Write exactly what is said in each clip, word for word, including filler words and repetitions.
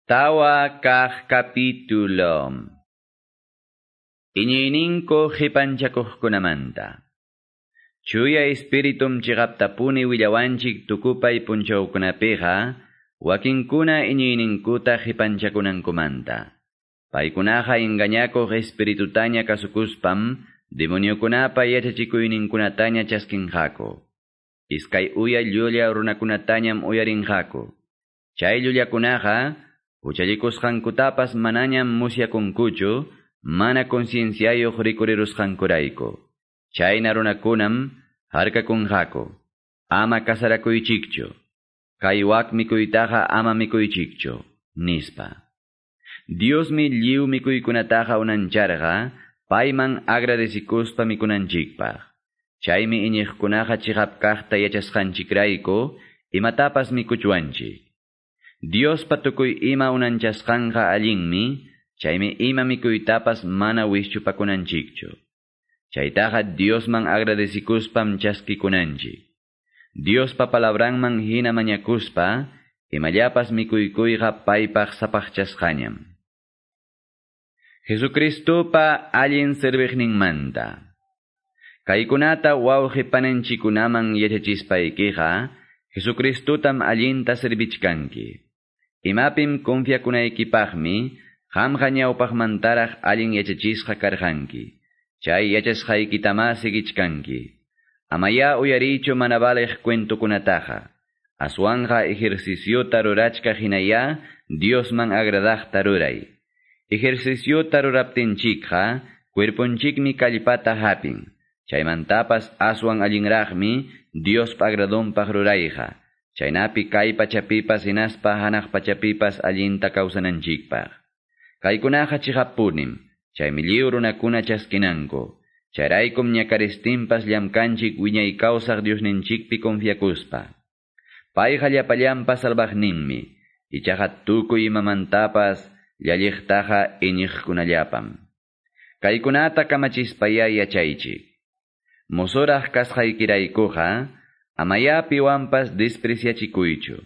Tawa kaq capítulo. Iñiyninku qipanchakuqkunamanta. Chuya espiritum chiqaptapuni willawanchik tukupay punchawkunapiqa, wakinkuna iñiyninkuta qipanchakunankumanta. Paykunaqa engañakuq espiritutaña kasukuspam, demoniokunapa yachachikuyninkunataña chaskinqaku. Iskay uya llulla runakunatañam uyarinqaku. Chay llullakunaqa, huchallikusqankutapas manañam musyakunkuchu, mana concienciayuq rikurirusqankurayku. Chayna runakunam harkakunqaku. Ama kasarakuychikchu. Kay wak mikuytaqa ama mikuychikchu, nispa. Diosmi lliw mikuykunataqa unancharqa, payman agradecikuspa mikunanchikpaq. Chaymi iñiqkunaqa chiqap kaqta yachasqanchikrayku, imatapas mikuchwanchik. Diospa tukuy ima unanchasqanqa allinmi, chaymi ima mikuytapas mana wischupakunanchikchu. Chaytaqa Diosman agradecikuspam chaskikunanchik. Diospa palabranman hina mañakuspa, imallapas mikuykuyqa paypaq sapaqchasqañam. Jesucristopa allin serviqninmanta. Kaykunata wawqi pananchikunaman yachachispaykiqa, Jesucristotam allinta servichkanki. Imapim confiakunaykipaqmi, qamqa ñawpaqmantaraq allin yachachisqa karqanki. Chay yachasqaykitama sigichkanki. Amaya uyarichu mana valeq cuentokunataqa. Aswanqa ejerciciota rurachkaq hinaya Diosman agradaqta ruray. Ejerciciota ruraptinchikqa, cuerponchikmi kallpata hapin. Chaymantapas aswan allinraqmi Diospa agradonpaq rurayqa. Chaynapi kay pachapipas hinaspa hanaq pachapipas allinta kawsananchikpaq. Kaykunaqa chiqappunim, chaymi lliw runakuna chaskinanku. Chayraykum ñakaristinpas llamkanchik wiñay kawsaq Diosninchikpi confiakuspa. Payqa llapallanpa salvaqninmi, ichaqa tukuy imamantapas llalliqtaqa iñiqkunallapam. Kaykunata kamachispaya yachaychik. Mosoraq kasqaykiraykuqa, amaya piwanpas despreciachikuychu.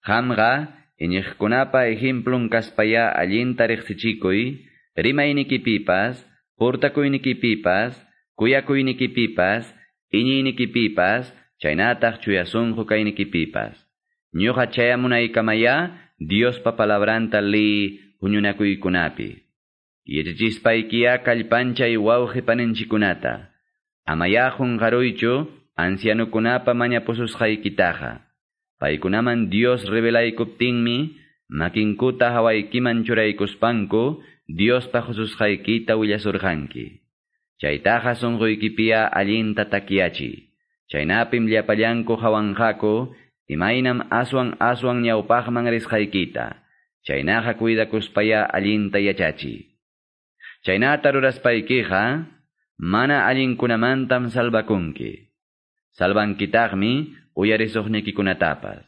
Qamqa iñiqkunapa ejemplun kaspaya allinta riqsichikuy, rimaynikipipas, portakuynikipipas, kuyakuynikipipas, iñiynikipipas, chaynataq chuya sunqu kaynikipipas. Ñuqa chayamunaykamaya Diospa palabranta liy huñunakuykunapi. Yachachispaykiya kallpanchay wawqi paninchikunata. Amaya qunqaruychu ancianukunapa mañapususqaykitaqa. Paykunaman Dios revelaykuptinmi, makinkuta hawaykiman churaykuspanku, Diospa hususqaykita willasurqanki. Chaytaqa sunquykipiya allinta takyachiy. Chaynapim llapallanku hawanqaku, imaynam aswan aswan ñawpaqman risqaykita. Chaynaqa cuidakuspaya allinta yachachiy. Chaynata ruraspaykiqa, mana allinkunamantam salvakunki. Salvankitaqmi uyarisuqnikikunatapas.